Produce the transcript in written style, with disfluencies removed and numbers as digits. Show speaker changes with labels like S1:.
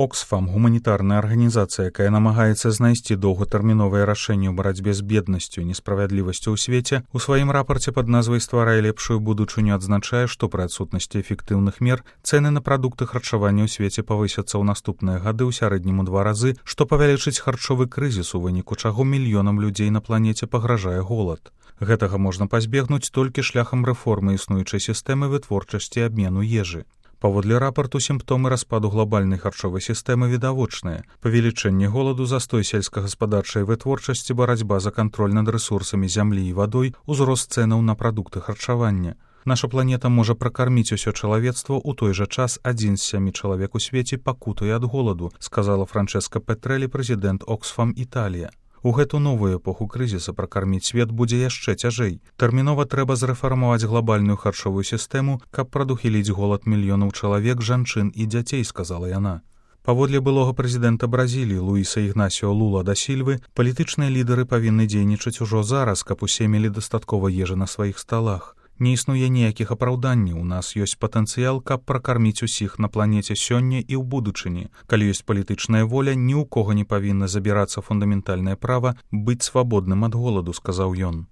S1: Оксфам, гуманітарная арганізацыя, якая намагаецца знайсці доўгатэрміновыя рашэнні ў барацьбе з беднасцю і несправядлівасцю ў свеце, у сваім рапарце пад назвай «Стварай лепшую будучыню» адзначае, што пры адсутнасці эфектыўных мер цэны на прадукты харчавання ў свеце павысяцца ў наступныя гады ў сярэднім у 2 разы, што павялічыць харчовы крызіс, у выніку чаго мільёнам людзей на планеце пагражае голад. Гэтага можна пазбегнуць толькі шляхам рэформы існуючай сістэмы вытворчасці і абмену ежы. Паводле рапарту, сімптомы распаду глобальнай харчовай сістэмы відавочныя. Павелічэнне голаду, застой сельскагаспадарчай вытворчасці, барацьба за кантроль над рэсурсамі зямлі і вадой, узрост цэнаў на прадукты харчавання. Наша планета можа пракарміць усё чалавецтва, у той жа час 1 з 7 чалавек у свеце пакутуе ад голаду, сказала Франческа Петрэлі, прэзідэнт Оксфам Італія. У гэту новую эпоху крызіса пракарміць свет будзе яшчэ цяжэй. Тэрмінова трэба зрэфармаваць глобальную харчовую сістэму, каб прадухіліць голад мільёнаў чалавек, жанчын і дзяцей, сказала яна. Паводле былога прэзідэнта Бразіліі Луіса Ігнасіо Лула да Сільвы, палітычныя лідары павінны дзейнічаць ужо зараз, каб усе мелі дастаткова ежы на сваіх сталах. Не існуе ніякіх апраўданняў, у нас ёсць патэнцыял, каб пракарміць усіх на планеце сёння і ў будучыні. Калі ёсць палітычная воля, ні ў кога не павінна забірацца фундаментальнае права быць свабодным ад голаду, сказаў ён.